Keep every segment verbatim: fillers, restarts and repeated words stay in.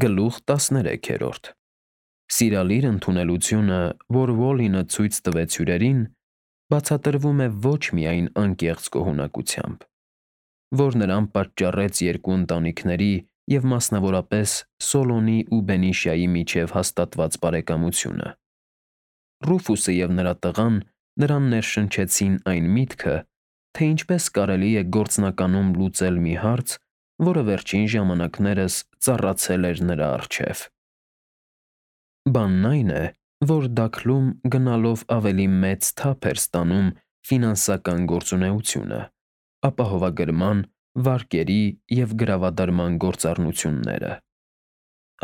Գլուխ տասներեքերորդ Սիրալիր ընդունելությունը, որ Ուոլլինը ցույց տվեց հյուրերին, բացատրվում է ոչ միայն անկեղծ գոհունակությամբ, որ նրան պատճառեց երկու ընտանիքների և մասնավորապես Սոլոնի ու Բենիշիայի միջև հաստատված բարեկամությունը։ Ռուֆուսը և նրա տղան նրան ներշնչեցին այն միտքը, թե ինչպես կարելի է գործնականում լուծել մի հարց, որը վերջին ժամանակներս ծառացել էր նրա առջև։ Բանն այն է, որ Դաքլում գնալով ավելի մեծ թափ էր ստանում ֆինանսական գործունեությունը, ապահովագրման, վարկերի և գրավադրման գործառնությունները։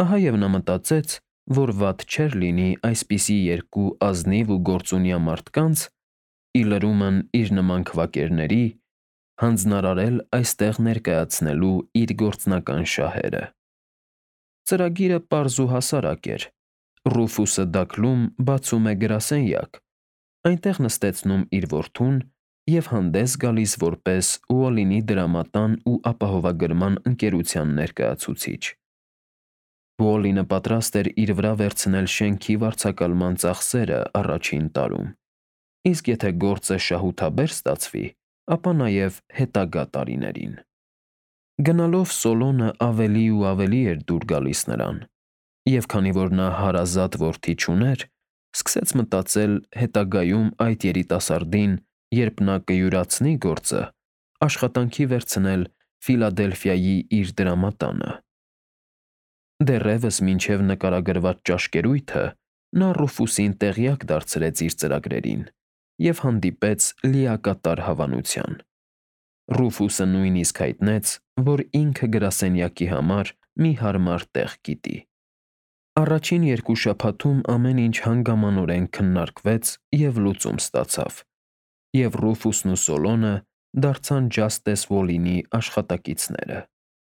Ահա և նա մտածեց, որ վատ չէր լինի այսպիսի երկու ազնիվ ու գործունյա մարդկանց, ի լրումն իր նման քվակերների, հանձնարարել այստեղ ներկայացնելու իր գործնական շահերը։ Ծրագիրը պարզ ու հասարակ էր. Ռուֆուսը Դաքլում բացում է գրասենյակ, այնտեղ նստեցնում իր որդուն և հանդես գալիս որպես Ուոլլինի դրամատան ու ապահովագրման ընկերության ներկայացուցիչ։ Ուոլլինը պատրաստ էր իր վրա վերցնել շենքի վարձակալման ծախսերը առաջին տարում, իսկ եթե գործը շահութաբեր ստացվի, ապա նաև հետագա տարիներին։ Գնալով Սոլոնը ավելի ու ավելի էր դուր գալիս նրան, և քանի որ նա հարազատ որդի չուներ, սկսեց մտածել հետագայում այդ երիտասարդին, երբ նա կյուրացնի գործը, աշխատանքի վերցնել Ֆիլադելֆիայի իր դրամատանը։ Դեռևս մինչև նկարագրված ճաշկերույթը նա Ռուֆուսին տեղյակ դարձրեց իր ծրագրերին և հանդիպեց լիակատար հավանության։ Ռուֆուսը նույնիսկ հայտնեց, որ ինքը գրասենյակի համար մի հարմար տեղ գիտի։ Առաջին երկու շաբաթում ամեն ինչ հանգամանորեն քննարկվեց և լուծում ստացավ, և Ռուֆուսն ու Սոլոնը դարձան Ջաստես Ուոլլինի աշխատակիցները։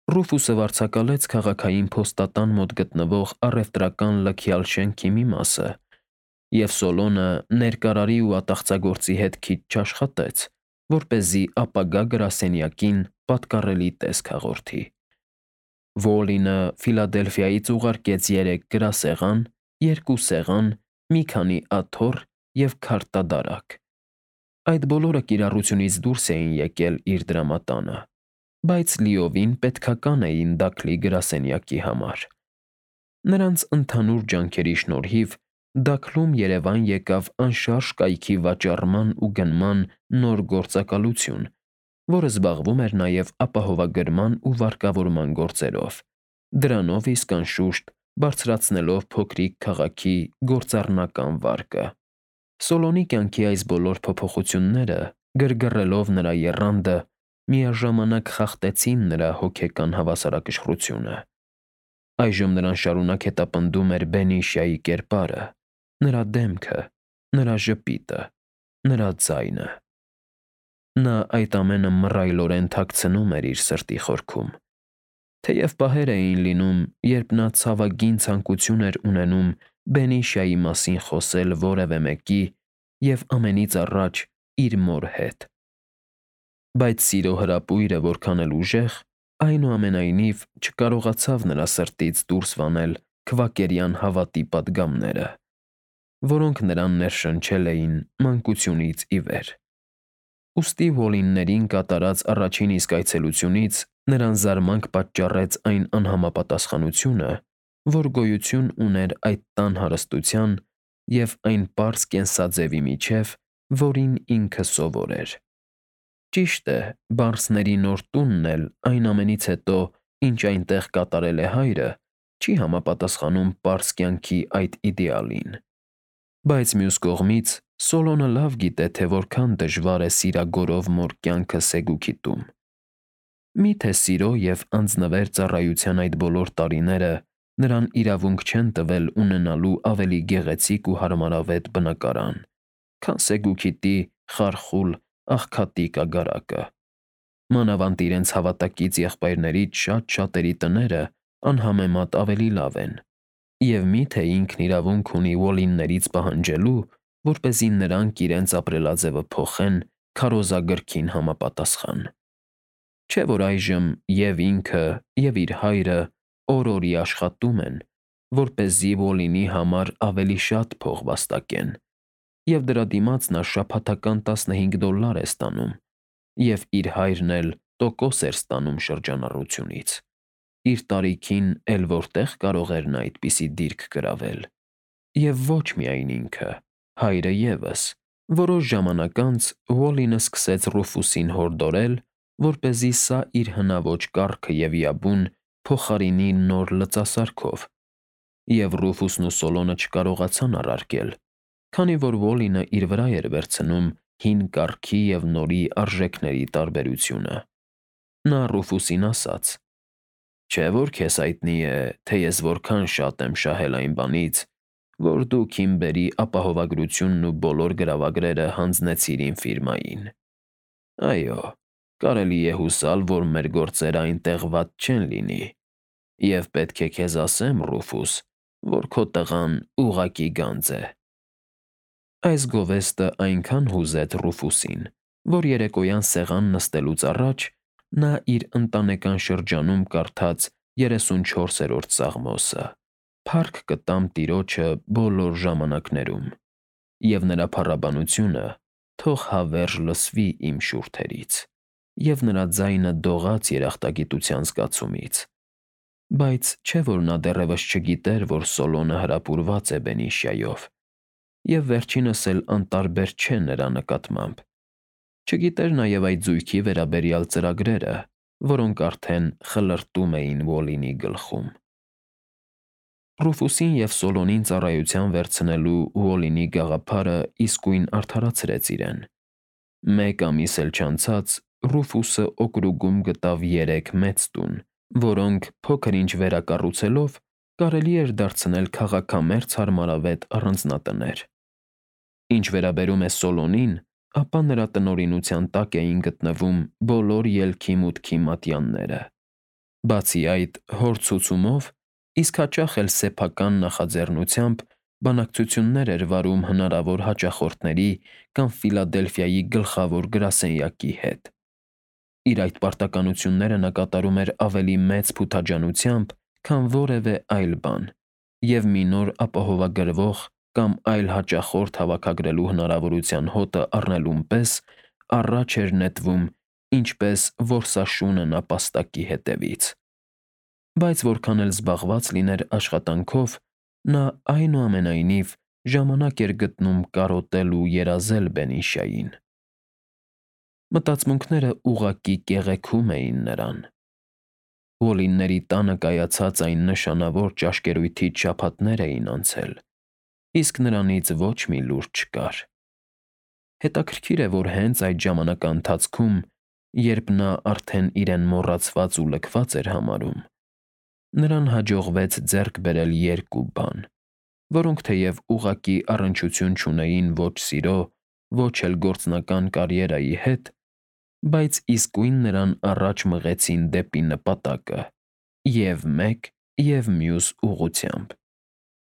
Ռուֆուսը վարձակալեց քաղաքային փոստատան մոտ գտնվող առևտրական լքյալ շենքի մի մասը, և Սոլոնը ներկարարի ու ատաղծագործի հետ քիչ չաշխատեց, որպեսզի ապագա գրասենյակին պատկառելի տեսք հաղորդի։ Ուոլլինը Ֆիլադելֆիայից ուղարկեց երեք գրասեղան, երկու սեղան, մի քանի աթոռ և քարտադարակ։ Այդ բոլորը կիրառությունից դուրս էին եկել իր դրամատանը, բայց լիովին պետքական էին Դաքլի գրասենյակի համար։ Նրանց ընդհանուր ջանքերի շնորհիվ Դաքլում երևան եկավ անշարժ կայքի վաճառման ու գնման նոր գործակալություն, որը զբաղվում էր նաև ապահովագրման ու վարկավորման գործերով, դրանով իսկ, անշուշտ, բարձրացնելով փոքրիկ քաղաքի գործառնական վարկը։ Սոլոնի կյանքի այս բոլոր փոփոխությունները, գրգռելով նրա եռանդը, միաժամանակ խախտեցին նրա հոգեկան հավասարակշռությունը։ Այժմ նրան շարունակ հետապնդում էր Բենիշիայի կերպարը, նրա դեմքը, նրա ժպիտը, նրա ձայնը։ Նա այդ ամենը մռայլորեն թաքցնում էր իր սրտի խորքում։ Թեև պահեր էին լինում, երբ նա ցավագին ցանկություն էր ունենում Բենիշիայի մասին խոսել որևէ մեկի և ամենից առաջ իր մոր հետ։ Բայց սիրո հրապույրը որքան էլ ուժեղ, այնուամենայնիվ չկարողացավ նրա սրտից դուրս վանել քվակերյան հավատի պատգամները, որոնք նրան ներշնչել էին մանկությունից ի վեր։ Ուստի Ուոլլիններին կատարած առաջին իսկ այցելությունից նրան զարմանք պատճառեց այն անհամապատասխանությունը, որ գոյություն ուներ այդ տան հարստության և այն պարզ կենսաձևի միջև, որին ինքը սովոր էր։ Ճիշտ է, բարձների նոր տունն էլ այն ամենից հետո, ինչ այնտեղ կատարել է հայրը, չի համապատասխանում պարզ կյանքի այդ իդեալին։ Բայց մյուս կողմից Սոլոնը լավ գիտե, թե որքան դժվար է սիրագորով մոր կյանքը Սեգուքի տուն։ Մի՞թե սիրո և անձնվեր ծառայության այդ բոլոր տարիները նրան իրավունք չեն տվել ունենալու ավելի գեղեցիկ ու հարմարավետ բնակարան, քան Սեգուքիթի խարխուլ, աղքատիկ ագարակը։ Մանավանդ իրենց հավատակից եղբայրներից շատ֊շատերի տները անհամեմատ ավելի լավ են, և մի՞թե ինքն իրավունք ունի Ուոլլիններից պահանջելու, որպեսզի նրանք իրենց ապրելաձևը փոխեն քարոզագրքին համապատասխան։ Չէ՞ որ այժմ և ինքը, և իր հայրը օր-օրի աշխատում են, որպեսզի Ոլինի համար ավելի շատ փող վաստակեն, և դրա դիմաց նա շաբաթական տասնհինգ դոլլար է ստանում, և իր հայրն էլ տոկոս էր ստանում շրջանառությունից։ Իր տարիքին էլ որտե՞ղ կարող էր նա այդպիսի դիրք գրավել։ Եվ ոչ միայն ինքը, հայրը ևս։ Որոշ ժամանակ անց Ուոլլին սկսեց Ռուֆուսին հորդորել, որպեսզի սա իր հնաոճ կառքը և Յաբուն փոխարինի նոր լծասարքով, և Ռուֆուսն ու Սոլոնը չկարողացան առարկել, քանի որ Ուոլլինը իր վրա էր վերցնում հին կառքի և նորի արժեքների տարբերությունը։ Նա Ռուֆուսին ասաց. «Չէ՞ որ քեզ հայտնի է, թե ես որքան շատ եմ շահել այն բանից, որ դու Քիմբերի ապահովագրությունն ու բոլոր գրավագրերը հանձնեցիր իմ ֆիրմային։ Այո, կարելի է հուսալ, որ մեր գործերը այնտեղ վատ չեն լինի, և պետք է քեզ ասեմ, Ռուֆուս, որ քո տղան ուղղակի գանձ է»։ Այս գովեստը այնքան հուզեց Ռուֆուսին, որ երեկոյան սեղան նստելուց առաջ նա իր ընտանեկան շրջանում կարդաց երեսունչորսերորդ Սաղմոսը. «Փառք կտամ Տիրոջը բոլոր ժամանակներում, և նրա փառաբանությունը թող հավերժ լսվի իմ շուրթերից, և նրա ձայնը դողաց երախտագիտության զգացումից»։ Բայց չէ՞ որ նա դեռևս չգիտեր, որ Սոլոնը հրապուրված է Բենիշիայով, և վերջինս էլ անտարբեր չէ նրա նկատմամբ։ Չգիտեր նաև այդ զույգի վերաբերյալ ծրագրերը, որոնք արդեն խլրտում էին Ոլինի գլխում։ Ռուֆուսին և Սոլոնին ծառայության վերցնելու Ուոլլինի գաղափարը իսկույն արդարացրեց իրեն։ Մեկ ամիս էլ չանցած Ռուֆուսը օկրուգում գտավ երեք մեծ տուն, որոնք, փոքր-ինչ վերակառուցելով, կարելի էր դարձնել քաղաքամերձ հարմարավետ առանձնատներ։ Ինչ վերաբերում է Սոլոնին, ապա նրա տնօրինության տակ էին գտնվում բոլոր ելքի-մուտքի մատյանները։ Բացի այդ, հոր ցուցումով, իսկ հաճախ էլ սեփական նախաձեռնությամբ բանակցություններ էր վարում հնարավոր հաճախորդների կամ Ֆիլադելֆիայի գլխավոր գրասենյակի հետ։ Իր այդ պարտականությունները նա կատարում էր ավելի մեծ փութաջանությամբ, քան որևէ այլ բան, և մի նոր ապահովագրվող կամ այլ հաճախորդ հավաքագրելու հնարավորության հոտը առնելուն պես առաջ էր նետվում ինչպես որսաշունը նապաստակի հետևից։ Բայց որքան էլ զբաղված լիներ աշխատանքով, նա, այնուամենայնիվ, ժամանակ էր գտնում կարոտել ու երազել Բենիշիային։ Մտածմունքները ուղղակի կեղեքում էին նրան։ Ոլինների տանը կայացած այն նշանավոր ճաշկերույթից շաբաթներ էին անցել, իսկ նրանից ոչ մի լուր չկար։ Հետաքրքիր է, որ հենց այդ ժամանակաընթացքում, երբ նա արդեն իրեն մոռացված ու լքված էր համարում, նրան հաջողվեց ձեռք բերել երկու բան, որոնք թեև ուղղակի առնչություն չունեին ոչ սիրո, ոչ էլ գործնական կարիերայի հետ, բայց իսկույն նրան առաջ մղեցին դեպի նպատակը և՛ մեկ, և՛ մյուս ուղղությամբ։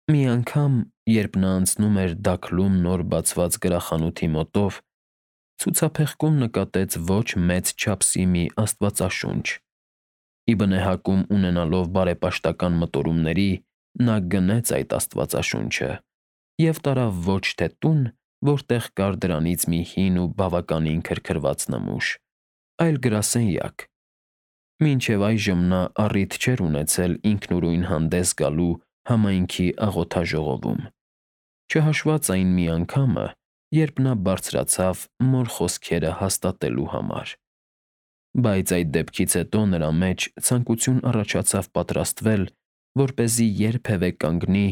Մի անգամ, երբ նա անցնում էր Դաքլում նոր բացված գրախանութի մոտով, ցուցափեղկում նկատեց ոչ մեծ չափսի մի աստվածաշունչ։ Ի բնեհակում ունենալով բարեպաշտական մտորումների, նա գնեց այդ աստվածաշունչը և տարավ ոչ թե տուն, որտեղ կար դրանից մի հին ու բավականին քրքրված նմուշ, այլ գրասենյակ։ Մինչև այժմ նա առիթ չէր ունեցել ինքնուրույն հանդես գալու համայնքի աղոթաժողովում, չհաշված այն մի անգամը, երբ նա բարձրացավ մոր խոսքերը հաստատելու համար։ Բայց այդ դեպքից հետո նրա մեջ ցանկություն առաջացավ պատրաստվել, որպեսզի երբևէ կանգնի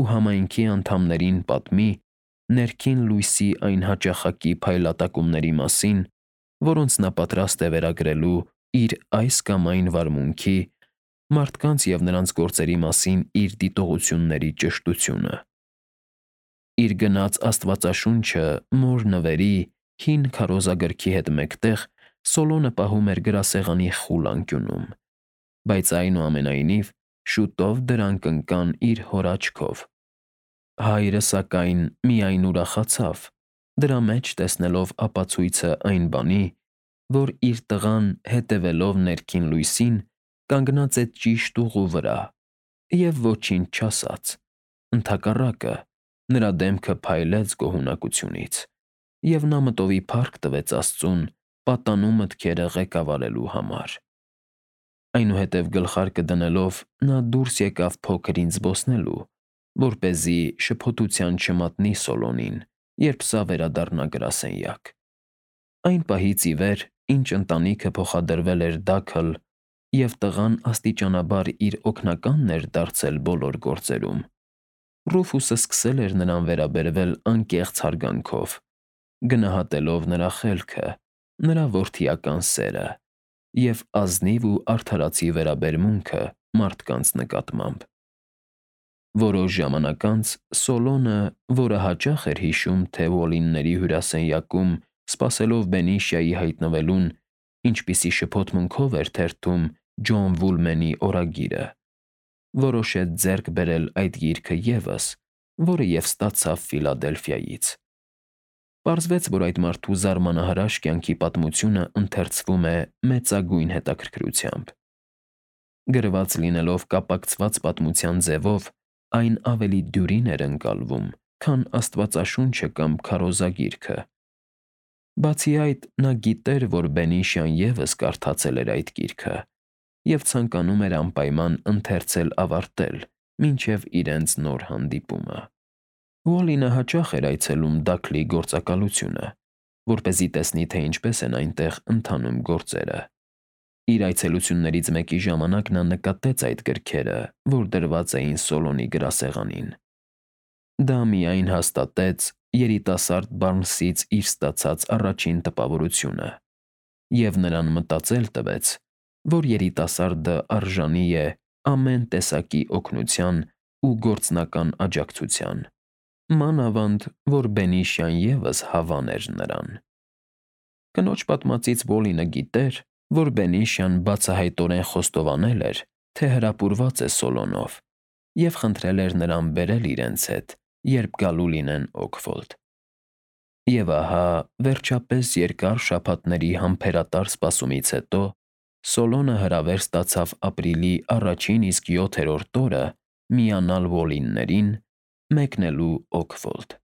ու համայնքի անդամներին պատմի ներքին լույսի այն հաճախակի փայլատակումների մասին, որոնց նա պատրաստ է վերագրելու իր այս կամ այն վարմունքի, մարդկանց և նրանց գործերի մասին իր դիտողությունների ճշտությունը։ Իր գնած աստվածաշունչը մոր նվերի, հին քարոզագրքի հետ մեկտեղ Սոլոնը պահում էր գրասեղանի խուլ անկյունում, բայց այնուամենայնիվ շուտով դրանք ընկան իր հոր աչքով։ Հայրը, սակայն, միայն ուրախացավ, դրա մեջ տեսնելով ապացույցը այն բանի, որ իր տղան, հետևելով ներքին լույսին, կանգնած է ճիշտ ուղու վրա, և ոչինչ չասաց։ Ընդհակառակը, նրա դեմքը փայլեց գոհունակությունից, և նա մտովի փառք տվեց Աստծուն պատանու մտքերը ղեկավարելու համար։ Այնուհետև գլխարկը դնելով՝ նա դուրս եկավ փոքր ինձ զբոսնելու, որպեսզի շփոթության չմատնի Սոլոնին, երբ սա վերադառնա գրասենյակ։ Այն պահից ի վեր, ինչ ընտանիքը փոխադրվել էր Դաքլ, և տղան աստիճանաբար իր օգնականն էր դարձել բոլոր գործերում, Ռուֆուսը սկսել էր նրան վերաբերվել անկեղծ հարգանքով, գնահատելով նրա խելքը, նրա որդիական սերը և ազնիվ ու արդարացի վերաբերմունքը մարդկանց նկատմամբ։ Որոշ ժամանակ անց Սոլոնը, որը հաճախ էր հիշում, թե Ուոլլինգների հյուրասենյակում, սպասելով Բենիշիայի հայտնվելուն, ինչպիսի շփոթմունքով էր թերթում Ջոն Վուլմենի օրագիրը, որոշեց ձեռք բերել այդ գիրքը ևս, որը և ստացավ Ֆիլադելֆիայից։ Պարզվեց, որ այդ մարդու զարմանահրաշ կյանքի պատմությունը ընթերցվում է մեծագույն հետաքրքրությամբ։ Գրված լինելով կապակցված պատմության ձևով, այն ավելի դյուրին էր ընկալվում, քան Աստվածաշունչը կամ քարոզագիրքը։ Բացի այդ, նա գիտեր, որ Բենիշիան ևս կարդացել էր այդ գիրքը և ցանկանում էր անպայման ընթերցել֊ավարտել մինչև իրենց նոր հանդիպումը։ Ուոլլինգը հաճախ էր այցելում Դաքլի գործակալությունը, որպեսզի տեսնի, թե ինչպես են այնտեղ ընթանում գործերը։ Իր այցելություններից մեկի ժամանակ նա նկատեց այդ գրքերը, որ դրված էին Սոլոնի գրասեղանին։ Դա միայն հաստատեց երիտասարդ Բարնսից իր ստացած առաջին տպավորությունը, և նրան մտածել տվեց, որ երիտասարդը արժանի է ամեն տեսակի օգնության ու գործնական աջակցության, մանավանդ որ Բենիշիան ևս հավան էր նրան։ Կնոջ պատմածից Ուոլլինգը գիտեր, որ Բենիշիան բացահայտորեն խոստովանել էր, թե հրապուրված է Սոլոնով, և խնդրել էր նրան բերել իրենց հետ, երբ գալու լինեն Օքֆորդ։ Եվ ահա, վերջապես, երկար շաբաթների համբերատար սպասումից հետո Սոլոնը հրավեր ստացավ ապրիլի առաջին իսկ յոթերորդ օրը միանալ Ուոլլինգներին՝ մեկնելու Օքֆորդ։